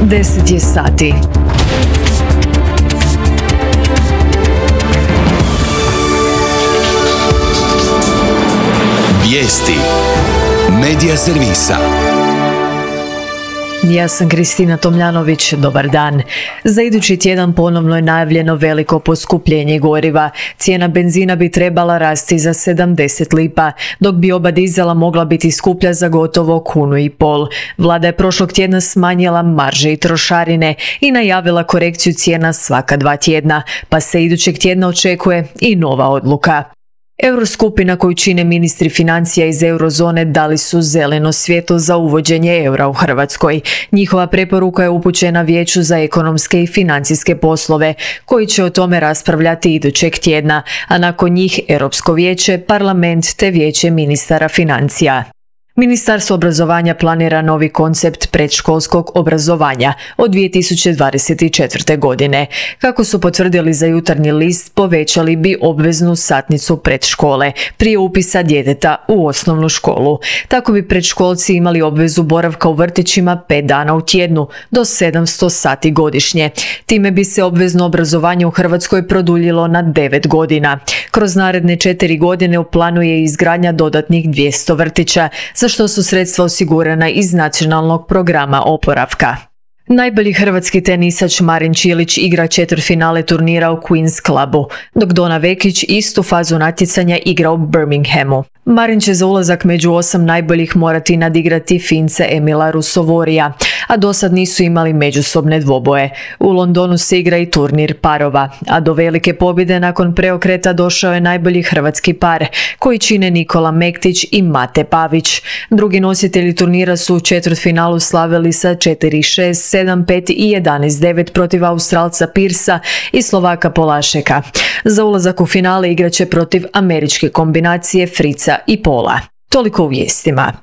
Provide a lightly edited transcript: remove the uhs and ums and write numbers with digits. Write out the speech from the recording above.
10 je sati. Vijesti Medija servisa. Ja sam Kristina Tomljanović, dobar dan. Za idući tjedan ponovno je najavljeno veliko poskupljenje goriva. Cijena benzina bi trebala rasti za 70 lipa, dok bi oba dizela mogla biti skuplja za gotovo 1,5 kunu. Vlada je prošlog tjedna smanjila marže i trošarine i najavila korekciju cijena svaka 2 tjedna, pa se idućeg tjedna očekuje i nova odluka. Euroskupina koju čine ministri financija iz eurozone dali su zeleno svjetlo za uvođenje eura u Hrvatskoj. Njihova preporuka je upućena Vijeću za ekonomske i financijske poslove, koji će o tome raspravljati idućeg tjedna, a nakon njih Europsko vijeće, parlament te vijeće ministara financija. Ministarstvo obrazovanja planira novi koncept predškolskog obrazovanja od 2024. godine. Kako su potvrdili za Jutarnji list, povećali bi obveznu satnicu predškole prije upisa djeteta u osnovnu školu. Tako bi predškolci imali obvezu boravka u vrtićima 5 dana u tjednu do 700 sati godišnje. Time bi se obvezno obrazovanje u Hrvatskoj produljilo na 9 godina. Kroz naredne 4 godine u planu je izgradnja dodatnih 200 vrtića, za što su sredstva osigurana iz nacionalnog programa oporavka. Najbolji hrvatski tenisač Marin Čilić igra četvrtfinale turnira u Queen's Clubu, dok Dona Vekić istu fazu natjecanja igra u Birminghamu. Marin će za ulazak među 8 najboljih morati nadigrati Fince Emila Rusovorija, a dosad nisu imali međusobne dvoboje. U Londonu se igra i turnir parova, a do velike pobjede nakon preokreta došao je najbolji hrvatski par, koji čine Nikola Mektić i Mate Pavić. Drugi nositelji turnira su u četvrtfinalu slavili sa 4-6, 7-5 i 11-9 protiv Australca Pirsa i Slovaka Polašeka. Za ulazak u finale igraće protiv američke kombinacije Frica i Pola. Toliko u vijestima.